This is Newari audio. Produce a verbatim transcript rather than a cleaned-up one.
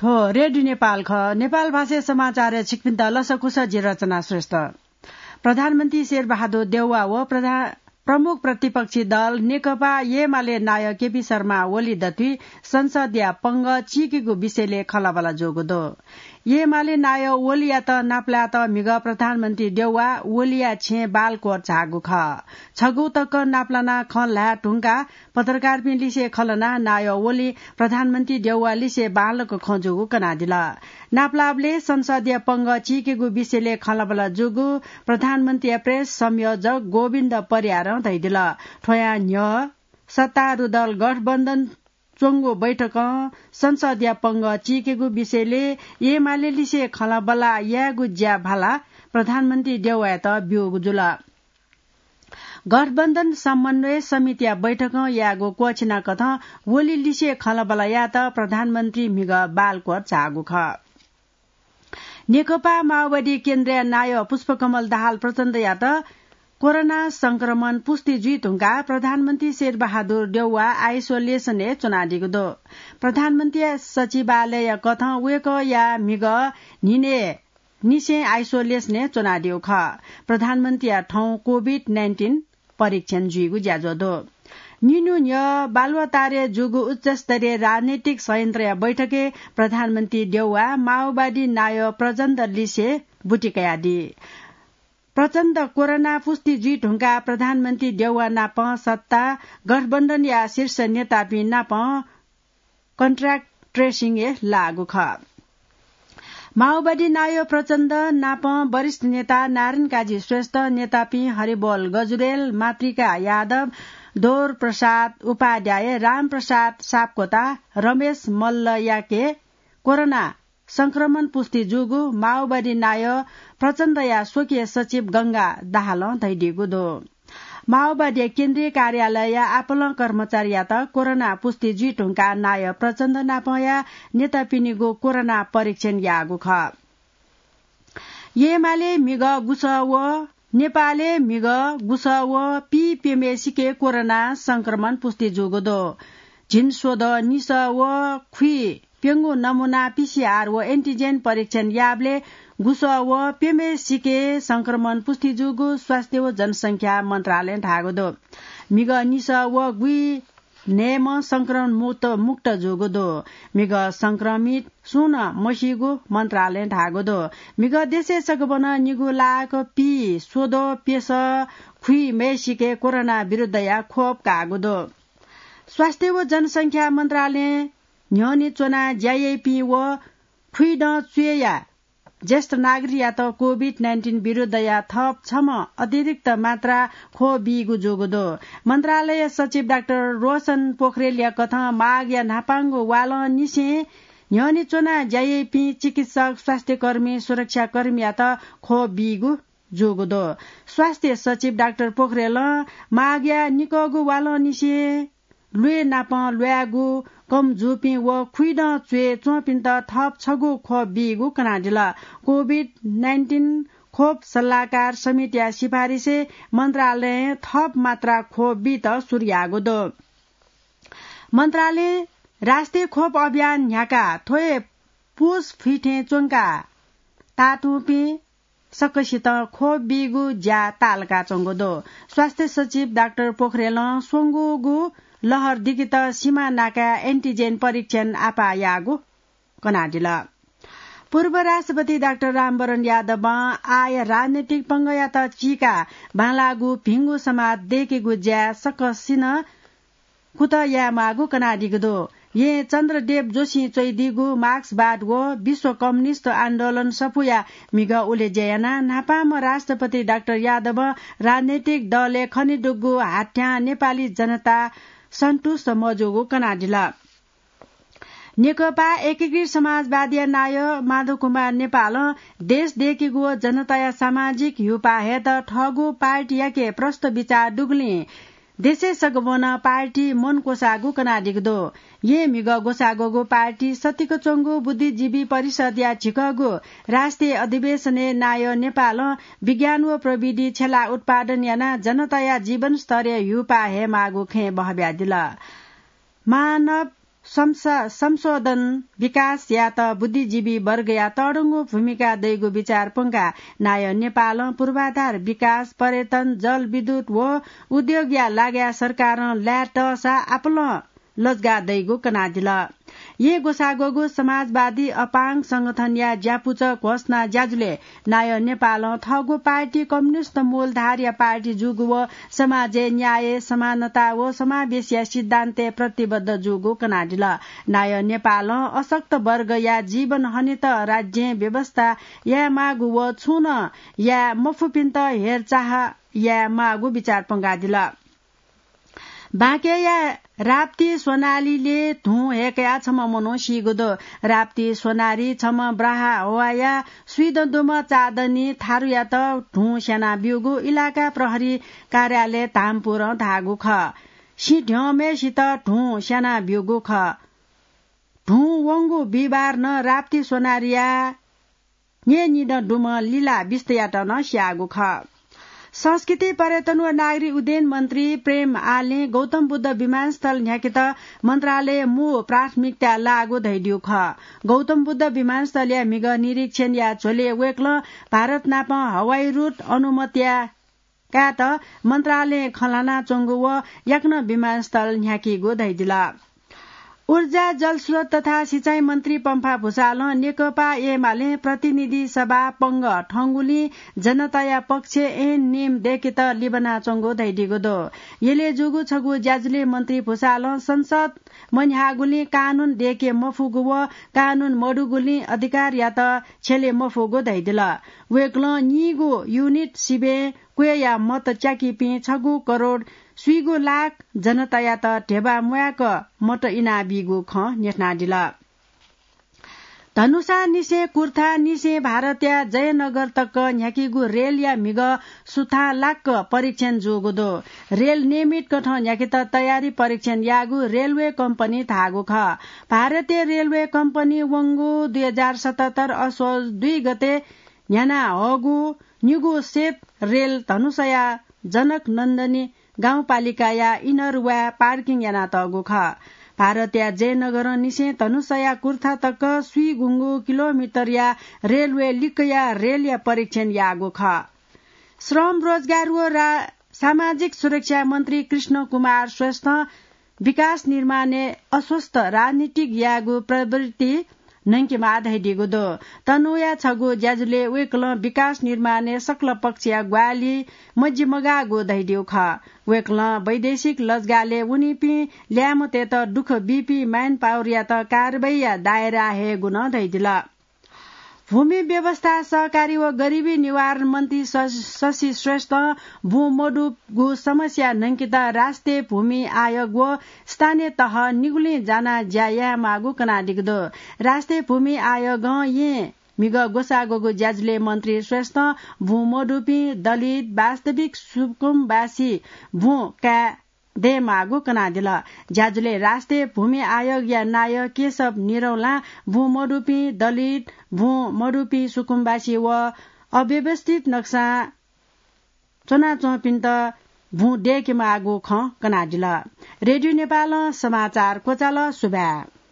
हो, रेडियो नेपाल खः। नेपाल भाषाय् समाचारय् छिकपिन्त लसकुस, जि रचना श्रेष्ठ। प्रधानमन्त्री शेरबहादुर देउवा व प्रधा-, प्रमुख प्रतिपक्षी दल नेकपा एमाले नायः केपी शर्मा ओली दथुइ संसदया पंगः चीकेगु विषयलय् खँल्हाबल्हा जूगु दु। एमाले नायः ओलीयात नापलायेत म्हिगः प्रधानमन्त्री देउवा ओलीया छेँय् बालकोट झाःगु खः। छगू तक नापलानाः खँ ल्हाये धुंकाः पत्रकारपिं लिसे खँ ल्हानाः नायः ओली प्रधानमन्त्री देउवा लिसे बांलाक खँ जूगु कनादिल। नापलाःबलय् संसदया पंगः चीकेगु विषयलय् खँल्हाबल्हा जूगु प्रधानमन्त्रीया प्रेस संयोजक गोविन्द परियारं धयादिल। थ्वयां न्ह्यः सत्तारूढ दल गठबन्धन च्वंगु बैठकं संसदया पंगः चीकेगु विषयलय् एमाले लिसे खँल्हाबल्हा यायेगु ज्या भाला प्रधानमन्त्री देउवायात ब्यूगु जुल। गठबन्धन समन्वय समितिया बैठकं यायेगु क्वःछिनाकथं ओली लिसे खँल्हाबल्हा यायेत प्रधानमन्त्री म्हिगः बालकोट झाःगु खः। नेकपा माओवादी केन्द्रया नायः पुष्पकमल दाहाल प्रचण्डयात कोरोना संक्रमण पुष्टि जुइ धुंकाः प्रधानमन्त्री शेरबहादुर देउवा आइसोलेसनय् च्वनादीगु दु। प्रधानमन्त्रीया सचिवालयया कथं वय्कःया म्हिगः न्हिनय् निसें आइसोलेसनय् च्वनादीगु खः। प्रधानमन्त्रीया थौं कोभिड नाइन्टिन परीक्षण जुइगु ज्याझ्वः दु। निन्हु न्ह्यः बालुवाटारय् जूगु उच्चस्तरीय राजनैतिक संयन्त्रया बैठकय् प्रधानमन्त्री देउवा माओवादी नायः प्रचण्ड लिसे बुटी कयादी। प्रचण्ड कोरोना पुष्टि जुइ धुंकाः प्रधानमन्त्री देउवा नाप सत्ता गठबन्धनया शीर्ष नेतापिं नाप कन्ट्याक्ट ट्रेसिङय् लाःगु खः। माओवादी नायः प्रचण्ड नाप वरिष्ठ नेता नारायण काजी श्रेष्ठ, नेतापिं हरिबोल गजुरेल, मातृका यादव, दौर प्रसाद उपाध्याय, रामप्रसाद सापकोटा, रमेश मल्लयाके कोरोना संक्रमण पुष्टि जूगु माओवादी नायः प्रचण्डया स्वकीय सचिव गंगा दाहालं धयादीगु दु। माओवादीया केन्द्रीय कार्यालयया आपालं कर्मचारीयात कोरोना पुष्टि जुइ धुंकाः नायः प्रचण्ड नापंया नेतापिनिगु कोरोना परीक्षण याःगु खः। एमाले म्हिगः गुसः व नेपालय् म्हिगः गुसः व पीप्यम्हेसिके कोरोना संक्रमण पुष्टि जूगु दु। झिंस्वदँ निसः व खुइप्यंगू नमूना पीसीआर व एन्टिजेन परीक्षण याःबलय् गुसः व प्यम्हेसिके संक्रमण पुष्टि जूगु स्वास्थ्य व जनसंख्या मन्त्रालयं धाःगु दु। म्हिगः निसः व गुइन्हय्म्ह संक्रमण मुक्त, मुक्त जूगु दु। म्हिगः संक्रमित सुं नं मसीगु मन्त्रालयं धाःगु दु। म्हिगः देशय् सकभनं निगू लाख पीस्वदँ प्यसः खुइम्हेसिके कोरोना विरुद्धया खोप काःगु दु। स्वास्थ्य व जनसंख्या मन्त्रालयं न्ह्यःने च्वनाः ज्या याइपिं व खुइदँ च्वय्या ज्येष्ठ नागरिकयात कोभिड नाइन्टिन विरुद्धया थप छम्ह अतिरिक्त मात्रा खोप बीगु जूगु दु। मन्त्रालय सचिव डाक्टर रोशन पोखरेलया कथं माघया न्हापांगु वालंनिसें न्ह्यःने च्वनाः ज्या याइपिं चिकित्सक, स्वास्थ्यकर्मी, सुरक्षाकर्मीयात खोप बीगु जूगु दु। स्वास्थ्य सचिव डाक्टर पोखरेलं माघया निकःगु वालंनिसें ल्वय् नाप ल्वायेगु कम जूपिं व खुइदँ च्वय् च्वंपिन्त थप छगू खोप बीगु कनादिल। कोभिड नाइन्टिन खोप सल्लाहकार समितिया सिफारिसय् मन्त्रालयं थप मात्रा खोप बीत सुरु याःगु दु। मन्त्रालयं राष्ट्रिय खोप अभियान न्ह्याकाः थ्व हे पुस फुइथें च्वंकाः तातुंपिं सकसितं खोप बीगु ज्या ताःलाकाच्वंगु दु। स्वास्थ्य सचिव डाक्टर पोखरेलं स्वंगूगु लहर दिकेत सीमा नाकाय् एन्टिजेन परीक्षण आपाः याःगु कनादिल। पूर्व राष्ट्रपति डाक्टर रामवरण यादवं आःया राजनैतिक पंगःयात चीकाः बांलाःगु भिंगु समाज दय्केगु ज्याय् सकसिनं कुतः यायेमाःगु कनादीगु दु। यें चन्द्रदेव जोशीं च्वइदीगु मार्क्सवाद व विश्व कम्युनिस्ट आन्दोलन सफूया म्हिगः उलेज्या यानाः न्हापांम्ह राष्ट्रपति डाक्टर यादवं राजनैतिक दलय् खनेदुगु हाथ्यां नेपाली जनता सन्तुष्ट मजूगु कनादिल। नेकपा एकीकृत समाजवादीया नायः माधव कुमार नेपालं देश दय्केगु व जनताया सामाजिक ह्यूपाः हयेत थःगु पार्टीयाके प्रष्ट बिचाः दुगुलिं देशय् सकभनं पार्टी मन क्वसाःगु कनादीगु दु। यें म्हिगः ग्वसाः ग्वःगु पार्टी सतिक च्वंगु बुद्धिजीवी परिषदया झिकःगु राष्ट्रिय अधिवेशनय् नायः नेपालं विज्ञान व प्रविधि छ्यलाः उत्पादन यानाः जनताया जीवनस्तरय् ह्यूपाः हयेमाःगु खँय् बहब्यादिल। मानव संशोधन विकास यात बुद्धिजीवी वर्गया तःधंगु भूमिका दइगु विचार पंका। नायः नेपालं पूर्वाधार विकास, पर्यटन, जलविद्युत व उद्योगया लागाय् सरकारं लाय् तःसा आपालं लजगाः दइगु कनादिल। येँ ग्वसाः ग्वःगु समाजवादी अपाङ संगठनया ज्यापुचः घोषणा ज्याझ्वलय् नायः नेपालं थःगु पार्टी कम्युनिस्ट मूलधारया पार्टी जूगु व समाजय् न्याय, समानता व समावेशया सिद्धान्तय् प्रतिबद्ध जूगु कनादिल। नायः नेपालं अशक्त वर्गया जीवन हनेत राज्यं व्यवस्था यायेमाःगु व छुं नं याये मफुपिन्त हेरचाह यायेमाःगु विचार पंकादिल। बाँकेया राप्ती सोनारीले धुं हय्कयाः छम्ह मनू सीगु दु। राप्ती सोनारी छम्ह ब्राहा हवाया स्वीदँ दुम्ह चादनी थारुयात धुं स्याना ब्यूगु इलाका प्रहरी कार्यालय धामपुरं धाःगु खः। सिँ ध्यंम्हय्सित धुं स्याना ब्यूगु खः। धुं वंगु बिहिबार नं राप्ती सोनारीया न्येनिदँ दुम्ह लिला बिस्तयात नं स्याःगु खः। संस्कृति, पर्यटन व नागरिक उड्डयन मन्त्री प्रेम आलें गौतम बुद्ध विमानस्थल न्ह्याकेत मन्त्रालय मू प्राथमिकता लाःगु धयादिउ खः। गौतम बुद्ध विमानस्थलया म्हिगः निरीक्षणया झ्वलय् वय्कलं भारत नाप हवाई रूट अनुमतिया कायेत मन्त्रालयं खँ ल्हानाच्वंगु व याकनं विमानस्थल न्ह्याकीगु धयादिल। ऊर्जा, जलस्रोत तथा सिँचाइ मन्त्री पम्फा भुसालं नेकपा एमालें प्रतिनिधि सभा पंगः थंगुलिं जनताया पक्षय् ऐन नियम दय्केत लिबानाच्वंगु धयादीगु दु। यलय् जूगु छगू ज्याझ्वलय् मन्त्री भुसालं संसद मन्ह्याःगुलिं कानून दय्के मफुगु व कानून मदुगुलिं अधिकारयात छ्यले मफुगु धयादिल। वय्कलं नीगू युनिट सिबें क्वय्या मत च्याकीपिं छगू करोड स्वीगू लाख जनतायात ध्यबा म्वाय्क मत इनाबीगु खँ न्ह्यथनादिल। धनुषानिसें कुर्थानिसें भारतया जयनगर तक न्ह्याकीगु रेलया म्हिगः सुथांलाक्क परीक्षण जूगु दु। रेल नियमित कथं न्ह्याकेत तयारी परीक्षण याःगु रेलवे कम्पनी धाःगु खः। भारतीय रेलवे कम्पनी वंगु दुई हजार सतहत्तर असोज दुई गते न्ह्याना हःगु निगू सेट रेल धनुषया जनक नन्दनी गाउँपालिकाया इनर वाय् पार्किङ यानातःगु खः। भारतया जयनगरंनिसें धनुषया कुर्था तक स्वीगुंगू किलोमिटरया रेलवे लिक्कया रेलया परीक्षण याःगु खः। श्रम, रोजगार व रा-, सामाजिक सुरक्षा मन्त्री कृष्ण कुमार श्रेष्ठं विकास निर्माणय् अस्वस्थ राजनीतिक यायेगु प्रवृत्ति न्हंकेमाः धयादीगु दु। तनहुँया छगू ज्याझ्वलय् वय्कलं विकास निर्माणय् सकल पक्षया ग्वाहालि मजिमगाःगु धयादीगु खः। वय्कलं वैदेशिक लजगालय् वनीपिं ल्याय्म्हतय्त दुःख बीपिं म्यानपावरयात कारवाहीया दायराय् हयेगु नं धयादिल। भूमि व्यवस्था, सहकारी व गरिबी निवारण मन्त्री श-, शशि श्रेष्ठं बुँ मदुगु समस्या न्हंकेत राष्ट्रिय भूमि आयोग व स्थानीय तह निगुलिं जानाः ज्या यायेमाःगु कनादीगु दु। राष्ट्रिय भूमि आयोगं येँ म्हिगः ग्वसाः ग्वःगु ज्याझ्वलय् मन्त्री श्रेष्ठं बुँ मदुपिं दलित, वास्तविक सुकुमवासी बुँ काये दयेमाःगु कनादिल। ज्याझ्वलय् राष्ट्रिय भूमि आयोगया नायः केशव निरौलां बुँ मदुपिं दलित, बुँ मदुपिं सुकुमवासी व अव्यवस्थित नक्सां च्वनाच्वंपिन्त बुँ दयेकेमाःगु खँ कनादिल। रेडियो नेपालं समाचार क्वचाल। सुभाय्।